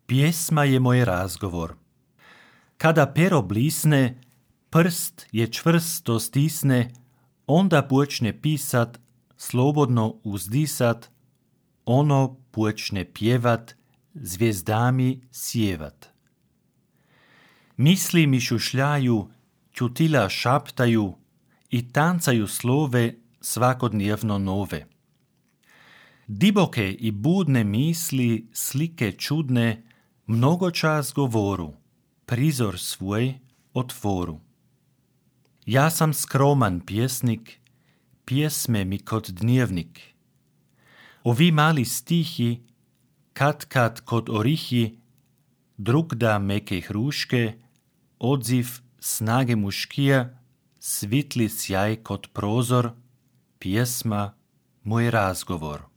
Pjesma je moj razgovor. Kada pero blisne, prst je čvrsto stisne, onda počne pisat, slobodno uzdisat, ono počne pjevat, zvijezdami sjevat. Misli mi šušljaju, ćutila šaptaju i tancaju slove svakodnevno nove. Diboke i budne misli, slike čudne, mnogo čas govoru, prizor svoj otvoru. Ja sam skroman pjesnik, pjesme mi kod dnevnik. Ovi mali stihi, kad kod orihi, drugda meke hruške, odziv snage muškija, svitli sjaj kod prozor, pjesma moj razgovor.